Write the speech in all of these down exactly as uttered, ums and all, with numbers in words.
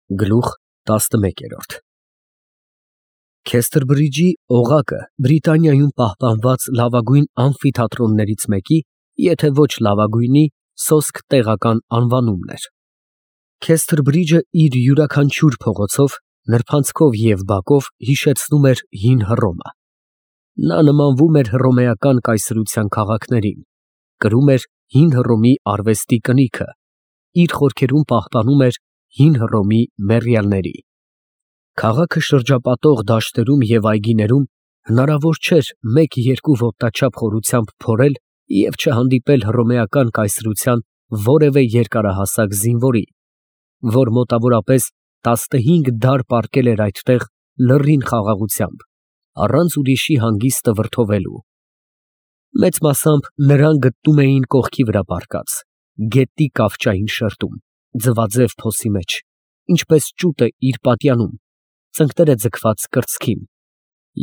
Գլուխ տասնմեկ։ Քեսթերբրիջի օղակը Բրիտանիայում պահպանված լավագույն ամֆիթատրոններից մեկի, եթե ոչ լավագույնի, սոսկ տեղական անվանումն էր։ Քեսթերբրիջը իր յուրաքանչյուր փողոցով, նրբանցքով և բակով հիշեցնում էր հին Հռոմը։ Նա նմանվում էր հռոմեական կայսրության քաղաքներին, կրում էր հին Հռոմի արվեստի կնիքը, իր խորքերում պահպանում էր հին Հռոմի մեռյալների։ Քաղաքը շրջապատող դաշտերում և այգիներում հնարավոր չէր մեկ֊երկու ոտնաչափ խորությամբ փորել և չհանդիպել հռոմեական կայսրության որևէ երկարահասակ զինվորի, որ մոտավորապես տասնհինգ դար պառկել էր այդտեղ լռին խաղաղությամբ, առանց ուրիշի հանգիստը վրդովելու։ Մեծ մասամբ նրան գտնում էին կողքի վրա պառկած, գետի կավճային շերտում, ձվաձև փոսի մեջ, ինչպես ճուտը իր պատյանում, ծնկները ձգված կրծքին,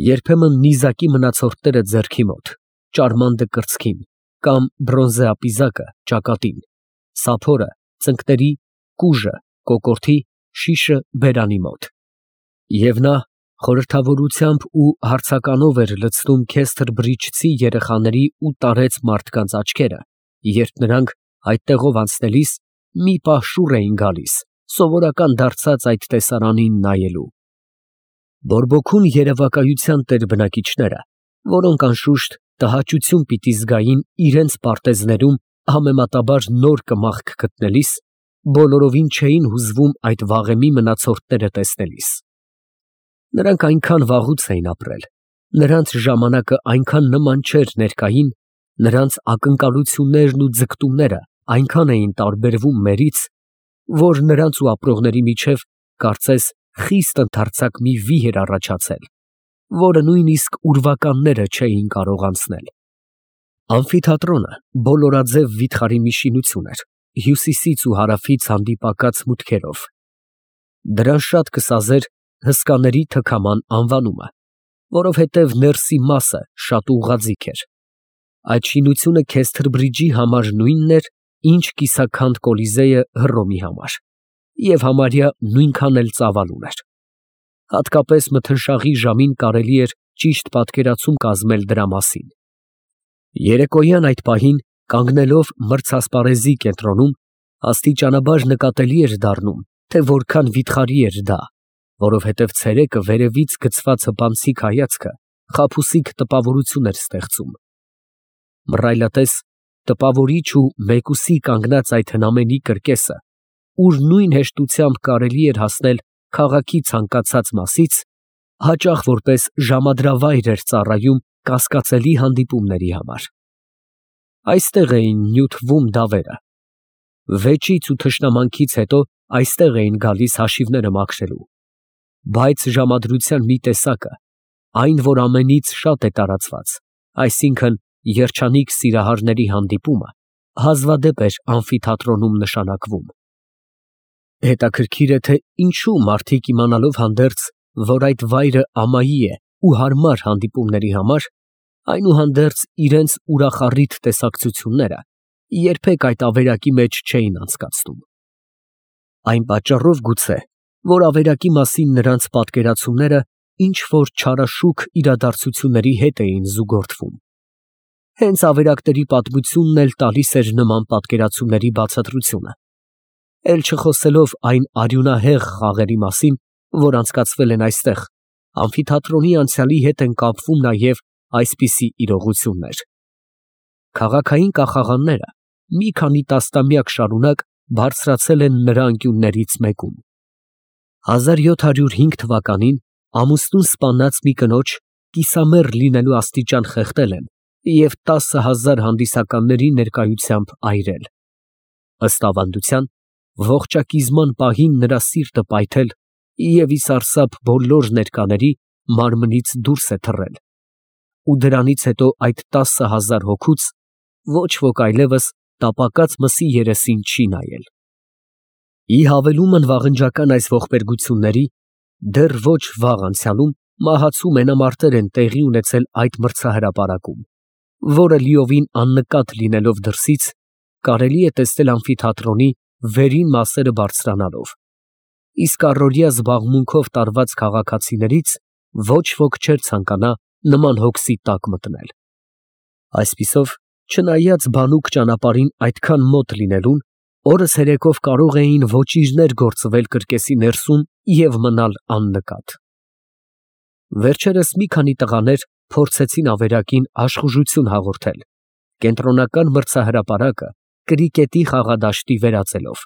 երբեմն նիզակի մնացորդները ձեռքի մոտ, ճարմանդը կրծքին, կամ բրոնզե ապիզակը ճակատին, սափորը ծնկների, կուժը կոկորդի, շիշը բերանի մոտ։ Եվ նա խորհրդավորությամբ ու հարցականով էր լցնում քեսթերբրիջցի երեխաների ու տարեց մարդկանց աչքերը, երբ նրանք այդտեղով անցնելիս մի պահ շուռ էին գալիս, սովորական դարձած այդ տեսարանին նայելու։ Բորբոքուն երևակայության տեր բնակիչները, որոնք անշուշտ տհաճություն պիտի զգային իրենց պարտեզներում համեմատաբար նոր կմախք գտնելիս, բոլորովին չէին հուզվում այդ վաղեմի մնացորդները տեսնելիս։ Նրանք այնքան վաղուց էին ապրել, նրանց ժամանակը այնքան նման չէր ներկային, նրանց ակնկալություններն ու ձգտումները այնքան էին տարբերվում մերից, որ նրանց ու ապրողների միջև կարծես խիստ ընդարձակ մի վիհ էր առաջացել, որը նույնիսկ ուրվականները չէին կարող անցնել։ Ամֆիթատրոնը բոլորաձև վիթխարի մի շինություն էր, հյուսիսից ու հարավից հանդիպակաց մուտքերով։ Դրան շատ կսազեր հսկաների թքաման անվանումը, որովհետև ներսի մասը շատ ուղղաձիգ էր։ Այդ շինությունը Քեսթերբրիջի համար նույնն էր, ինչ կիսաքանդ Կոլիզեյը Հռոմի համար, և համարյա նույնքան էլ ծավալ ուներ։ Հատկապես մթնշաղի ժամին կարելի էր ճիշտ պատկերացում կազմել դրա մասին։ Երեկոյան այդ պահին, կանգնելով մրցասպարեզի կենտրոնում, աստիճանաբար նկատելի էր դառնում, թե որքան վիթխարի էր դա, որովհետև ցերեկը վերևից գցված հպանցիկ հայացքը խաբուսիկ տպավորություն էր ստեղծում։ Մռայլատես, տպավորիչ ու մեկուսի կանգնած այդ հնամենի կրկեսը, ուր նույն հեշտությամբ կարելի էր հասնել քաղաքի ցանկացած մասից, հաճախ որպես ժամադրավայր էր ծառայում կասկածելի հանդիպումների համար։ Այստեղ էին նյութվում դավերը։ Վեճից ու թշնամանքից հետո այստեղ էին գալիս հաշիվները մաքրելու։ Բայց ժամադրության մի տեսակը, այն, որ ամենից շատ է տարածված, այսինքն երջանիկ սիրահարների հանդիպումը, հազվադեպ էր ամֆիթատրոնում նշանակվում։ Հետաքրքիր է, թե ինչու մարդիկ իմանալով հանդերձ, որ այդ վայրը ամայի է ու հարմար հանդիպումների համար, այնուհանդերձ իրենց ուրախառիթ տեսակցությունները երբեք այդ ավերակի մեջ չէին անցկացնում։ Այն պատճառով գուցե, որ ավերակի մասին նրանց պատկերացումները ինչ-որ չարաշուք իրադարձությունների հետ էին զուգորդվում։ Հենց ավերակների պատմությունն էլ տալիս էր նման պատկերացումների բացատրությունը, էլ չխոսելով այն արյունահեղ խաղերի մասին, որ անցկացվել են այստեղ, ամֆիթատրոնի անցյալի հետ են կապվում նաև այսպիսի իրողություններ։ Քաղաքային կախաղանները մի քանի տասնամյակ շարունակ բարձրացել են նրա անկյուններից մեկում։ հազար յոթ հարյուր հինգ թվականին ամուսնուն սպանած մի կնոջ կիսամեռ լինելու աստիճան խեղդել են և տասը հազար հանդիսականների ներկայությամբ այրել։ Ըստ ավանդության, ողջակիզման պահին նրա սիրտը պայթել և ի սարսափ բոլոր ներկաների մարմնից դուրս է թռել, ու դրանից հետո այդ տասը հազար հոգուց ոչ ոք այլևս տապակած մսի երեսին չի նայել։ Ի հավելումն վաղնջական այս ողբերգությունների, դեռ ոչ վաղ անցյալում մահացու մենամարտեր են տեղի ունեցել այդ մրցահրապարակում, որը լիովին աննկատ լինելով դրսից, կարելի է տեսնել ամֆիթատրոնի վերին մասերը բարձրանալով, իսկ առօրյա զբաղմունքով տարված քաղաքացիներից ոչ ոք չէր ցանկանա նման հոգսի տակ մտնել։ Այսպիսով, չնայած բանուկ ճանապարհին այդքան մոտ լինելուն, օրը ցերեկով կարող էին ոճիրներ գործվել կրկեսի ներսում և մնալ աննկատ։ Վերջերս մի քանի տղաներ փորձեցին ավերակին աշխուժություն հաղորդել, կենտրոնական մրցահրապարակը կրիկետի խաղադաշտի վերածելով,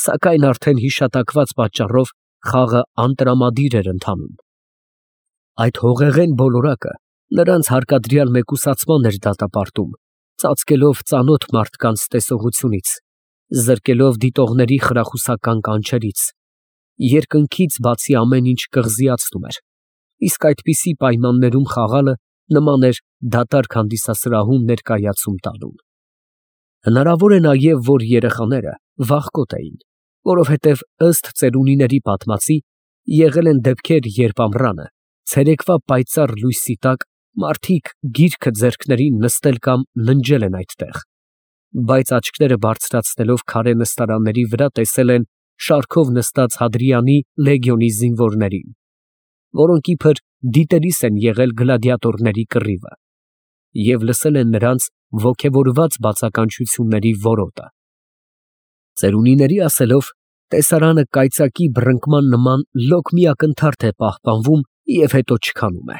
սակայն արդեն հիշատակված պատճառով խաղը անտրամադիր էր ընթանում։ Այդ հողեղեն բոլորակը նրանց հարկադրյալ մեկուսացման էր դատապարտում, ծածկելով ծանոթ մարդկանց տեսողությունից, զրկելով դիտողների խրախուսական կանչերից, երկնքից բացի ամեն ինչ կղզիացնում էր, իսկ այդպիսի պայմաններում խաղալը նման էր դատարկ հանդիսասրահում ներկայացում տալուն։ Հնարավոր է նաև, որ երեխաները վախկոտ էին, որովհետև ըստ ծերունիների պատմածի եղել են դեպքեր, երբ ամռանը, ցերեկվա պայծառ լույսի տակ մարդիկ գիրքը ձեռքներին նստել կամ ննջել են այդտեղ, բայց աչքերը բարձրացնելով քարե նստարանների վրա տեսել են շարքով նստած Հադրիանի լեգիոնի զինվորներին, որոնք իբր դիտելիս են եղել գլադիատորների կռիվը, և լսել են նրանց ոգևորված բացականչությունների որոտը։ Ծերունիների ասելով, տեսարանը կայծակի բռնկման նման լոկ մի ակնթարթ է պահպանվում և հետո չքանում է։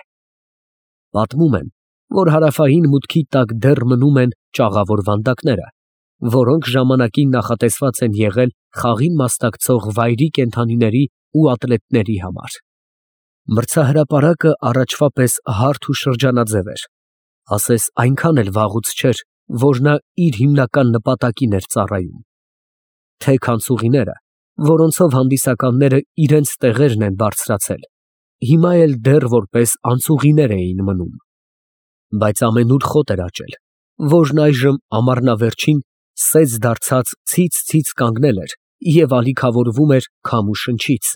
Պատմում են, որ հարավային մուտքի տակ դեռ մնում են ճաղավոր վանդակները, որոնք ժամանակին նախատեսված են եղել խաղին մասնակցող վայրի կենդանիների ու ատլետների համար։ Մրցահրապարակը առաջվա պես հարթ ու շրջանաձև էր, ասես այնքան էլ վաղուց չէր, որ նա իր հիմնական նպատակին էր ծառայում։ Թեք անցուղիները, որոնցով հանդիսականները իրենց տեղերն են բարձրացել, հիմա էլ դեռ որպես անցուղիներ էին մնում, բայց ամենուր խոտ էր աճել, որն այժմ ամառնավերջին սեծ դարձած ցից֊ցից կանգնել էր և ալիքավորվում էր քամու շնչից,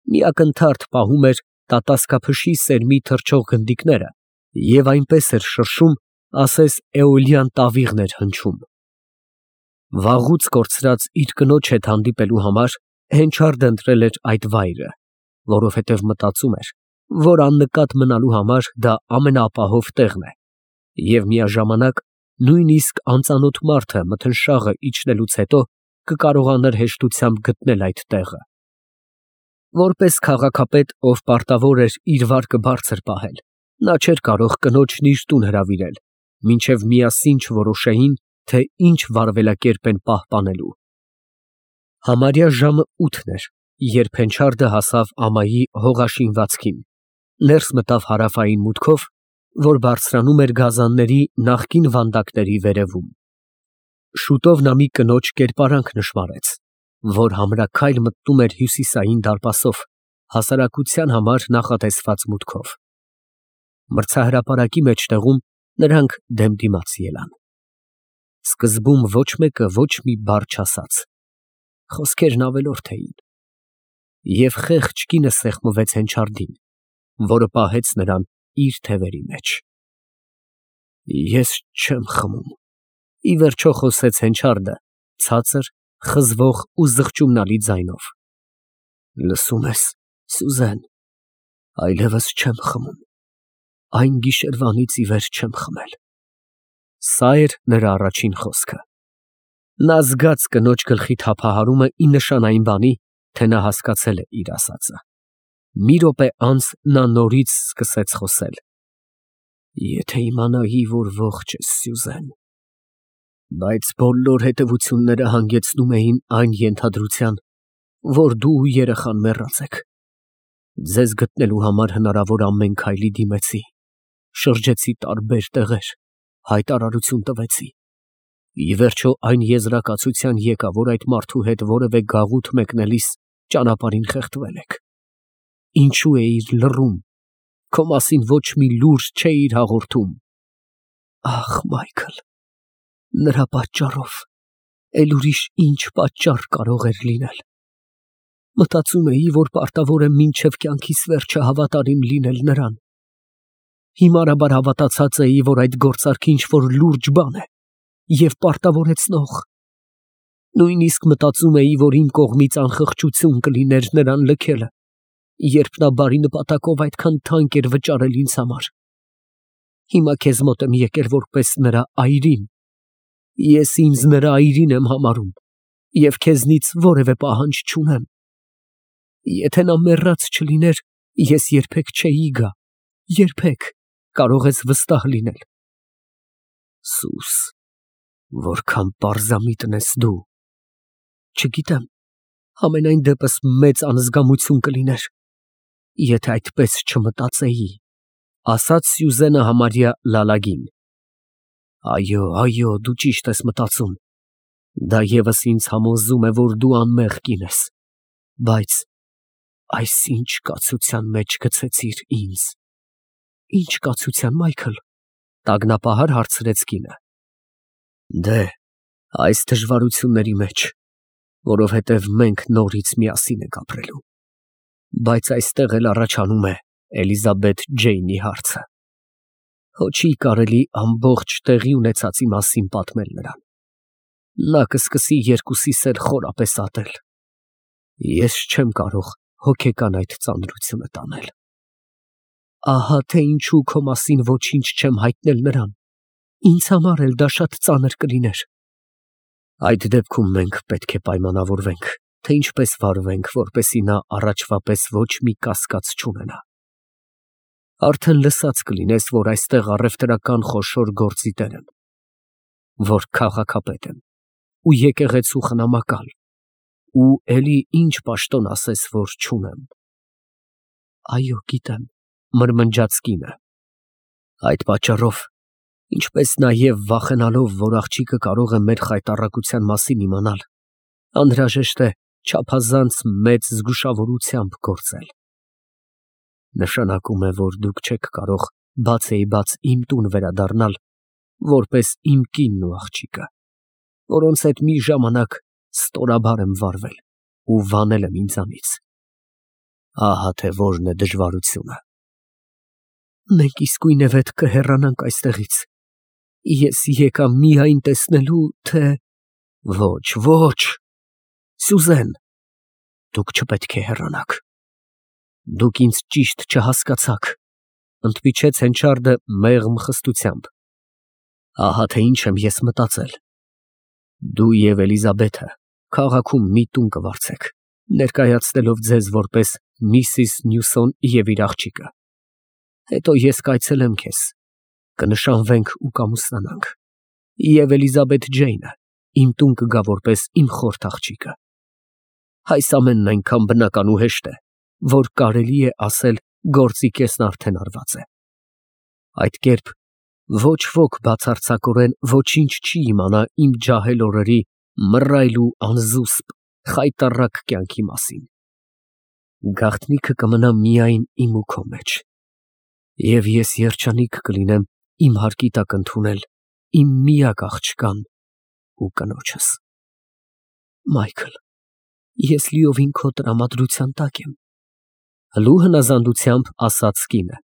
մի ակնթարթ պահում էր տատասկափշի սերմի թռչող գնդիկները և այնպես էր շրշում, ասես էոլյան տավիղն էր հնչում։ Վաղուց կորցրած իր կնոջ հետ հանդիպելու համար Հենչարդը ընտրել էր այդ վայրը, որովհետև մտածում էր, որ աննկատ մնալու համար դա ամենաապահով տեղն է, և միաժամանակ նույնիսկ անծանոթ մարդը մթնշաղը իջնելուց հետո կկարողանար հեշտությամբ գտնել այդ տեղը։ Որպես քաղաքապետ, ով պարտավոր էր իր վարկը բարձր պահել, նա չէր կարող կնոջն իր տուն հրավիրել, մինչև միասին չորոշեին, թե ինչ վարվելակերպ են պահպանելու։ Համարյա ժամը ութն էր, երբ Հենչարդը հասավ ամայի հողաշինվածքին, ներս մտավ հարավային մուտքով, որ բարձրանում էր գազանների նախկին վանդակների վերևում։ Շուտով նա մի կնոջ կերպարանք նշմարեց, որ համրաքայլ մտնում էր հյուսիսային դարպասով, հասարակության համար նախատեսված մուտքով։ Մրցահրապարակի մեջտեղում նրանք դեմդիմաց ելան։ Սկզբում ոչ մեկը ոչ մի բառ չասաց, խոսքերն ավելորդ էին, և խեղճ կինը սեղմվեց Հենչարդին, որը պահեց նրան իր թևերի մեջ։ Ես չեմ խմում, ի վերջո խոսեց Հենչարդը ցածր, խզվող ու զղջումնալի ձայնով։ Լսո՞ւմ ես, Սյուզեն, այլևս չեմ խմում, այն գիշերվանից ի վեր չեմ խմել։ Սա էր նրա առաջին խոսքը։ Նա զգաց կնոջ գլխի թափահարումը ի նշան այն բանի, թե նա հասկացել է իր ասածը։ Մի րոպե անց նա նորից սկսեց խոսել. Եթե իմանայի, որ ողջ ես, Սյուզեն, բայց բոլոր հետևությունները հանգեցնում էին այն ենթադրության, որ դու ու երեխան մեռած եք։ Ձեզ գտնելու համար հնարավոր ամեն քայլի դիմեցի, շրջեցի տարբեր տեղեր, հայտարարություն տվեցի։ Ի վերջո այն եզրակացության եկա, որ այդ մարդու հետ որևէ գաղութ մեկնելիս ճանապարհին խեղդվել եք։ Ինչու էիր լռում, քո մասին ոչ մի լուր չէիր հաղորդում։ Ախ, Մայքլ, նրա պատճառով, էլ ուրիշ ինչ պատճառ կարող էր լինել։ Մտածում էի, որ պարտավոր եմ մինչև կյանքիս վերջը հավատարիմ լինել նրան։ Հիմարաբար հավատացած էի, որ այդ գործարքը ինչ-որ լուրջ բան է և պարտավորեցնող։ Նույնիսկ մտածում էի, որ իմ կողմից անխղճություն կլիներ նրան լքելը, երբ նա բարի նպատակով այդքան թանկ էր վճարել ինձ համար։ Հիմա քեզ մոտ եմ եկել որպես նրա այրին։ Ես ինձ նրա այրին եմ համարում և քեզնից որևէ պահանջ չունեմ։ Եթե նա մեռած չլիներ, ես երբեք չէի գա, երբեք, կարող ես վստահ լինել։ Սուս, որքան պարզամիտն ես դու։ Չգիտեմ, համենայն դեպս մեծ անզգամություն կլիներ, եթե այդպես չմտածեի, ասաց Սյուզենը համարյա լալագին։ Այո, այո, դու ճիշտ ես մտածում, դա ևս ինձ համոզում է, որ դու անմեղ կին ես, բայց այս ինչ կացության մեջ գցեցիր ինձ։ Ինչ կացության, Մայքլ, տագնապահար հարցրեց կինը։ Դե, այս դժվարությունների մեջ, որովհետև մենք նորից միասին ենք ապրելու, բայց այստեղ էլ առաջանում է Էլիզաբեթ Ջեյնի հարցը։ Հո չի կարելի ամբողջ տեղի ունեցածի մասին պատմել նրան։ Նա կսկսի երկուսիս էլ խորապես ատել։ Ես չեմ կարող հոգեկան այդ ծանրությունը տանել։ Ահա թե ինչու քո մասին ոչինչ չեմ հայտնել նրան։ Ինձ համար էլ դա շատ ծանր կլիներ։ Այդ դեպքում մենք պետք է պայմանավորվենք, թե ինչպես վարվենք, որպեսզի նա առաջվա պես ոչ մի կասկած չունենա։ Արդեն լսած կլինես, որ այստեղ առևտրական խոշոր գործի տեր եմ, որ քաղաքապետ եմ ու եկեղեցու խնամակալ, ու էլի ինչ պաշտոն ասես, որ չունեմ։ Այո, գիտեմ, մրմնջաց կինը։ Այդ պատճառով, ինչպես նաև վախենալով, որ աղջիկը կարող է մեր խայտառակության մասին իմանալ, անհրաժեշտ է չափազանց մեծ զգուշավորությամբ գործել։ Նշանակում է, որ դուք չեք կարող բացեիբաց իմ տուն վերադառնալ, որպես իմ կինն ու աղջիկը, որոնց հետ մի ժամանակ ստորաբար եմ վարվել ու վանել եմ ինձանից։ Ահա թե որն է դժվարությունը։ Մենք իսկույնևեթ կհեռանանք այստեղից։ Ես եկա միայն տեսնելու, թե… Ոչ, ոչ, Սյուզեն, դուք չպետք է հեռանաք։ Դուք ինձ ճիշտ չհասկացաք, ընդմիջեց Հենչարդը մեղմ խստությամբ։ Ահա թե ինչ եմ ես մտածել։ Դու և Էլիզաբեթը քաղաքում մի տուն կվարձեք, ներկայացնելով ձեզ որպես Միսիս Նյուսոն և իր աղջիկը։ Հետո ես կայցելեմ քեզ, կնշանվենք ու կամուսնանանք, և Էլիզաբեթ Ջեյնը իմ տուն կգա որպես իմ խորթ աղջիկը։ Այս ամենն այնքան բնական ու հեշտ է, որ կարելի է ասել գործի կեսն արդեն արված է։ Այդ կերպ ոչ ոք բացարձակորեն ոչինչ չի իմանա իմ ջահել օրերի մռայլ ու անզուսպ խայտառակ կյանքի մասին։ Գաղտնիքը կմնա միայն իմ ու քո մեջ, և ես երջանիկ կլինեմ իմ հարկի տակ ընդունել իմ միակ աղջկան ու կնոջս։ Մայքլ, ես լիովին քո տրամադրության տակ եմ, հլու հնազանդությամբ ասաց կինը։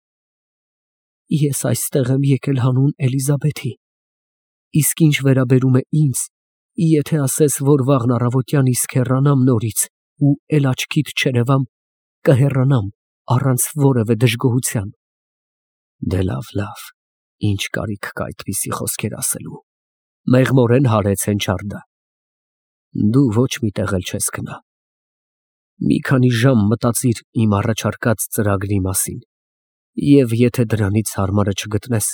Ես այստեղ եմ եկել հանուն Էլիզաբեթի, իսկ ինչ վերաբերում է ինձ, եթե ասես, որ վաղն առավոտյան իսկ հեռանամ նորից ու էլ աչքիդ չերևամ, կհեռանամ առանց որևէ դժգոհության։ Դե լավ, լավ, ինչ կարիք կա այդպիսի խոսքեր ասելու, մեղմորեն հարեց Հենչարդը։ Դու ոչ մի տեղ էլ չես գնա։ Մի քանի ժամ մտածիր իմ առաջարկած ծրագրի մասին, և եթե դրանից հարմարը չգտնես,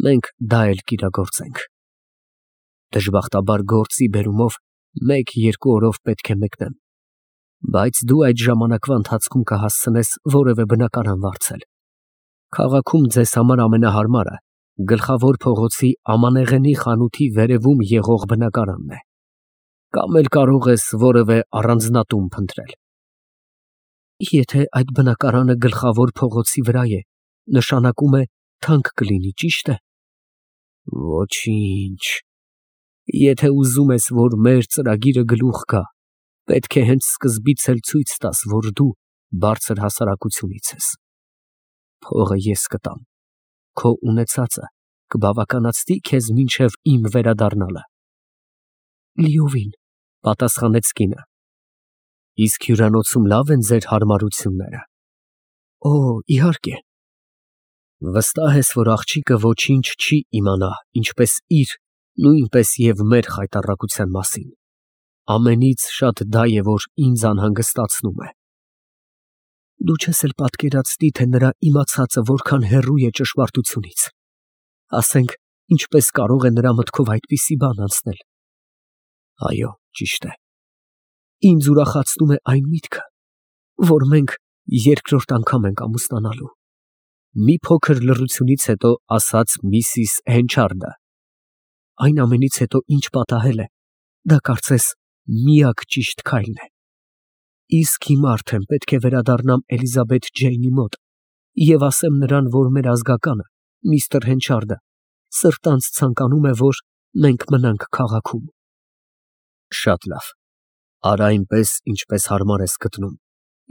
մենք դա էլ կիրագործենք։ Դժբախտաբար գործի բերումով մեկ֊երկու օրով պետք է մեկնեմ, բայց դու այդ ժամանակվա ընթացքում կհասցնես որևէ բնակարան վարձել։ Քաղաքում ձեզ համար ամենահարմարը Գլխավոր փողոցի Ամանեղենի խանութի վերևում եղող բնակարանն է, կամ էլ կարող ես որևէ առանձնատուն փնտրել։ Եթե այդ բնակարանը Գլխավոր փողոցի վրա է, նշանակում է թանկ կլինի, ճի՞շտ է։ Ոչինչ, եթե ուզում ես, որ մեր ծրագիրը գլուխ գա, պետք է հենց սկզբից էլ ցույց տաս, որ դու բարձր հասարակությունից ես։ Փողը ես կտամ, քո ունեցածը կբավականացնի քեզ մինչև իմ վերադառնալը։ Լիովին, Պատասխանեց կինը։ Իսկ հյուրանոցում լավ են ձեր հարմարությունները։ Օ, իհարկե։ Վստահ ես, որ աղջիկը ոչինչ չի իմանա, ինչպես իր, նույնպես և մեր խայտառակության մասին։ Ամենից շատ դա է, որ ինձ անհանգստացնում է։ Դու չես էլ պատկերացնի, թե նրա իմացածը որքան հեռու է ճշմարտությունից։ Ասենք, ինչպես կարող է նրա մտքով այդպիսի բան անցնել։ Այո, ճիշտ է։ Ինձ ուրախացնում է այն միտքը, որ մենք երկրորդ անգամ ենք ամուսնանալու։ Մի փոքր լռությունից հետո ասաց միսիս Հենչարդը։ Այն ամենից հետո, ինչ պատահել է, դա կարծես միակ ճիշտ քայլն է։ Իսկ հիմա արդեն պետք է վերադառնամ Էլիզաբեթ Ջեյնի մոտ և ասեմ նրան, որ մեր ազգականը, միստր Հենչարդը, սրտանց ցանկանում է, որ մենք մնանք քաղաքում։ Շատ լավ, արա այնպես, ինչպես հարմար ես գտնում,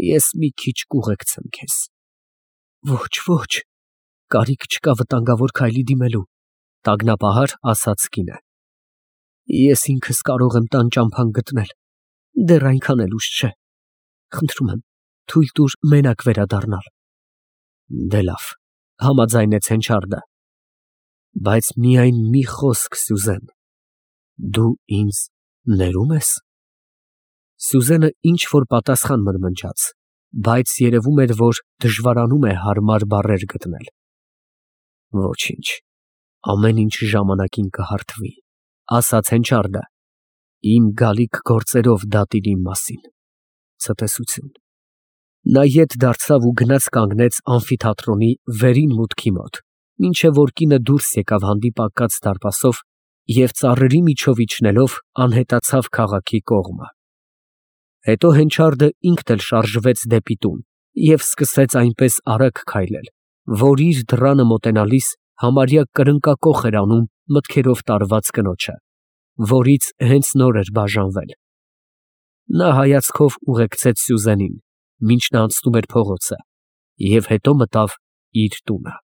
ես մի քիչ կուղեկցեմ քեզ։ Ոչ, ոչ, կարիք չկա վտանգավոր քայլի դիմելու, տագնապահար ասաց կինը։ Ես ինքս կարող եմ տան ճամփան գտնել, դեռ այնքան էլ ուշ չէ։ Խնդրում եմ, թույլ տուր մենակ վերադառնալ։ Դե լավ, համաձայնեց Հենչարդը։ Բայց միայն մի խոսք, Սյուզեն, դու ինձ ներում ես։ Սյուզենը ինչ որ պատասխան մրմնջաց, բայց երևում էր, որ դժվարանում է հարմար բառեր գտնել։ Ոչինչ, ամեն ինչ ժամանակին կհարթվի, ասաց Հենչարդը, իմ գալիք գործերով դատիր իմ մասին։ Ցտեսություն։ Նա ետ դարձավ ու գնաց կանգնեց ամֆիթատրոնի վերին մուտքի մոտ, մինչև որ կինը դուրս եկավ հանդիպակաց դարպասով և ծառերի միջով իջնելով անհետացավ քաղաքի կողմը։ Հետո Հենչարդը ինքն էլ շարժվեց դեպի տուն և սկսեց այնպես արագ քայլել, որ իր դռանը մոտենալիս համարյա կրնկակոխ էր անում մտքերով տարված կնոջը, որից հենց նոր էր բաժանվել։ Նա հայացքով ուղեկցեց Սյուզենին, մինչ նա անցնում էր փողոցը, և հետո մտավ իր տունը։